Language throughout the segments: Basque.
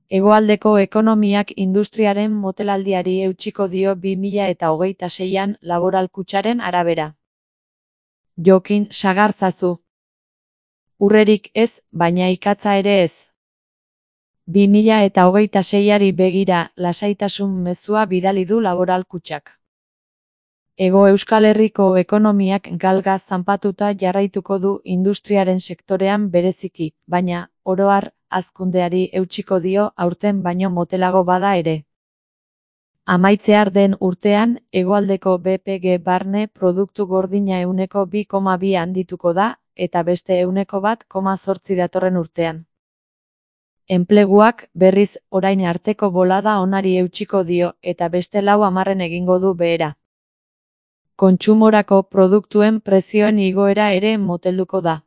Hegoaldeko ekonomiak industriaren motelaldiari eutsiko dio 2026an Laboral Kutxaren arabera. Jokin sagartzazu. Urrerik ez, baina ikatza ere ez. 2026ari begira lasaitasun mezua bidali du Laboral Kutxak. Hego Euskal Herriko ekonomiak galga zanpatuta jarraituko du industriaren sektorean bereziki, baina, oro har, hazkundeari eutsiko dio aurten baino motelago bada ere. Amaitzear den urtean, hegoaldeko BPG barne produktu gordina 2,2 handituko da, eta beste 1,8 datorren urtean. Enpleguak, berriz, orain arteko bolada onari eutsiko dio, eta beste 10 egingo du behera. Kontsumorako produktuen prezioen igoera ere motelduko da.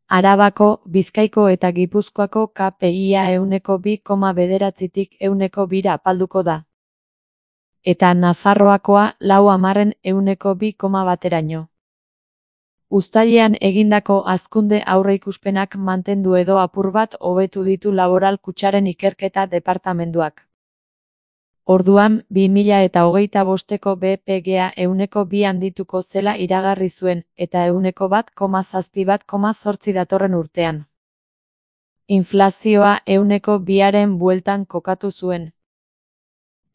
Arabako, Bizkaiko eta Gipuzkoako KPIa 2,9tik 2,2 apalduko da. Eta Nafarroakoa 2,1%. Uztailean egindako hazkunde aurreikuspenak mantendu edo apur bat hobetu ditu Laboral Kutxaren ikerketa departamenduak. Orduan, 2025eko BPGa 2,2 handituko zela iragarri zuen, eta 1,7,8 datorren urtean. Inflazioa 2,2aren bueltan kokatu zuen.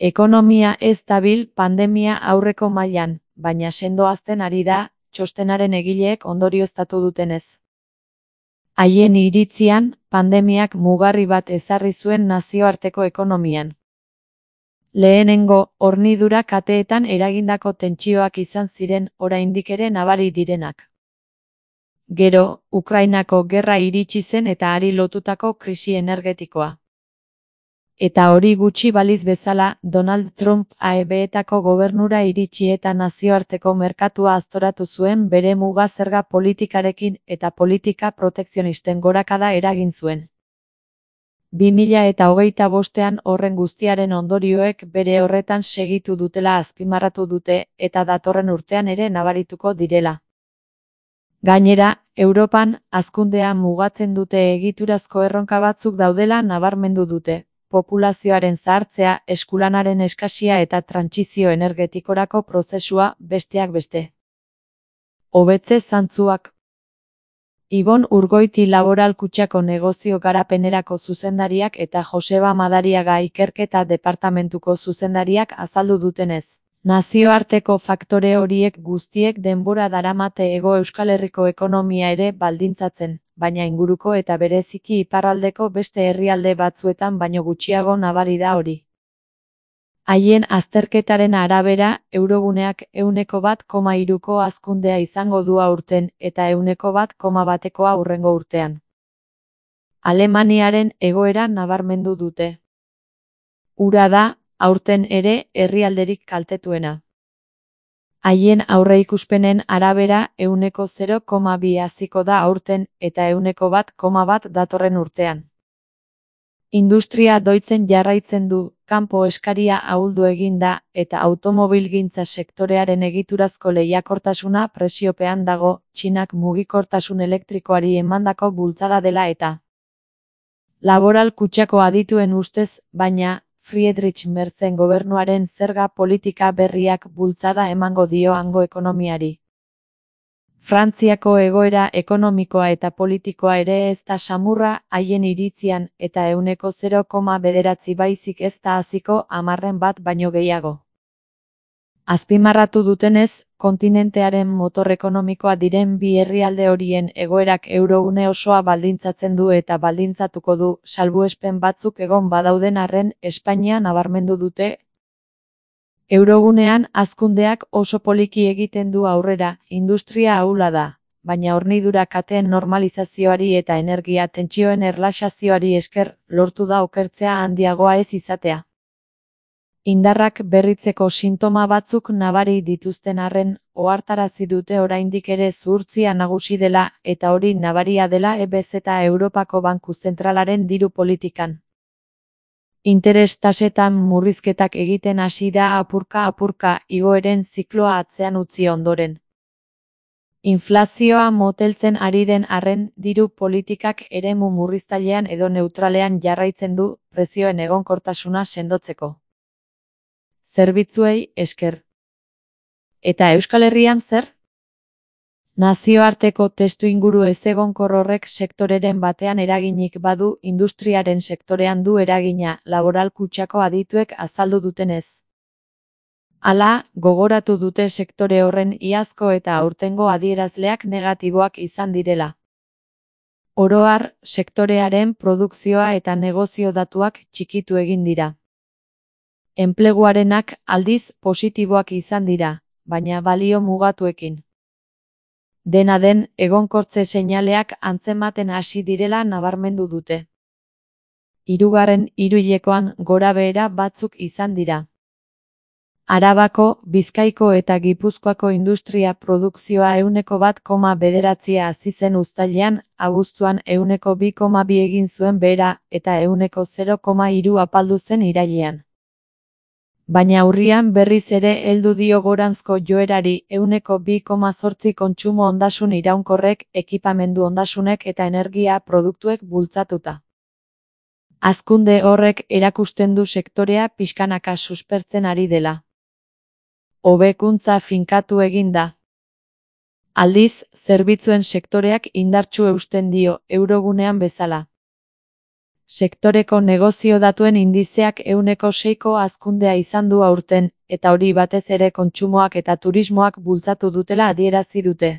Ekonomia ez dabil pandemia aurreko mailan, baina sendo hazten ari da, txostenaren egileek ondorioztatu dutenez. Haien iritzian, pandemiak mugarri bat ezarri zuen nazioarteko ekonomian. Lehenengo, hornidura kateetan eragindako tentsioak izan ziren oraindik ere nabari direnak. Gero, Ukrainako gerra iritsi zen eta hari lotutako krisi energetikoa. Eta hori gutxi baliz bezala, Donald Trump AEBetako gobernura iritsi eta nazioarteko merkatua aztoratu zuen bere muga zerga politikarekin eta politika protekzionisten gorakada eragin zuen. 2025an horren guztiaren ondorioek bere horretan segitu dutela azpimarratu dute eta datorren urtean ere nabarituko direla. Gainera, Europan hazkundea mugatzen dute egiturazko erronka batzuk daudela nabarmendu dute, populazioaren zahartzea, eskulanaren eskasia eta trantsizio energetikorako prozesua besteak beste. Hobetze zantzuak. Ibon Urgoiti Laboral Kutxako negozio garapenerako zuzendariak eta Joseba Madariaga ikerketa departamentuko zuzendariak azaldu dutenez. Nazioarteko faktore horiek guztiek denbora daramate Hego Euskal Herriko ekonomia ere baldintzatzen, baina inguruko eta bereziki iparraldeko beste herrialde batzuetan baino gutxiago nabari da hori. Haien azterketaren arabera, euroguneak 1,3ko hazkundea izango du aurten eta 1,1koa hurrengo urtean. Alemaniaren egoera nabarmendu dute. Hura da, aurten ere, herrialderik kaltetuena. Haien aurreikuspenen arabera 0,2 haziko da aurten eta 1,1 datorren urtean. Industria doitzen jarraitzen du, kanpo eskaria ahuldu egin da, eta automobilgintza sektorearen egiturazko lehiakortasuna presiopean dago, Txinak mugikortasun elektrikoari emandako bultzada dela eta. Laboral Kutxako adituen ustez, baina, Friedrich Merzen gobernuaren zerga politika berriak bultzada emango dio hango ekonomiari. Frantziako egoera ekonomikoa eta politikoa ere ez da samurra haien iritzian eta 0,9 baizik ez da haziko 1% baino gehiago. Azpimarratu dutenez, kontinentearen motor ekonomikoa diren bi herrialde horien egoerak eurogune osoa baldintzatzen du eta baldintzatuko du, salbuespen batzuk egon badauden arren Espainia nabarmendu dute. Eurogunean hazkundeak oso poliki egiten du aurrera, industria ahula da, baina hornidura kateen normalizazioari eta energia tentsioen erlaxazioari esker lortu da okertzea handiagoa ez izatea. Indarrak berritzeko sintoma batzuk nabari dituzten arren, ohartarazi dute oraindik ere zuhurtzia nagusi dela eta hori nabaria dela EBZ eta Europako Banku Zentralaren diru politikan. Interes tasetan murrizketak egiten hasi da apurka-apurka igoeren zikloa atzean utzi ondoren. Inflazioa moteltzen ari den arren, diru politikak eremu murriztailean edo neutralean jarraitzen du prezioen egonkortasuna sendotzeko. Zerbitzuei esker. Eta Euskal Herrian zer? Nazioarteko testuinguru ezegonkor horrek sektoreren batean eraginik badu, industriaren sektorean du eragina, Laboral Kutxako adituek azaldu dutenez. Hala, gogoratu dute sektore horren iazko eta aurtengo adierazleak negatiboak izan direla. Oro har, sektorearen produkzioa eta negozio datuak txikitu egin dira. Enpleguarenak aldiz positiboak izan dira, baina balio mugatuekin. Dena den, egonkortze seinaleak antzematen hasi direla nabarmendu dute. Hirugarren hiruhilekoan gorabehera batzuk izan dira. Arabako, Bizkaiko eta Gipuzkoako industria produkzioa 1,9 hazi zen uztailean, abuztuan 2,2 egin zuen behera, eta 0,3 apaldu zen irailean. Baina urrian berriz ere heldu dio goranzko joerari 2,8 kontsumo ondasun iraunkorrek, ekipamendu ondasunek eta energia produktuek bultzatuta. Hazkunde horrek erakusten du sektorea pixkanaka suspertzen ari dela. Hobekuntza finkatu egin da. Aldiz, zerbitzuen sektoreak indartsu eusten dio, eurogunean bezala. Sektoreko negozio datuen indizeak 6ko hazkundea izan du aurten, eta hori batez ere kontsumoak eta turismoak bultzatu dutela adierazi dute.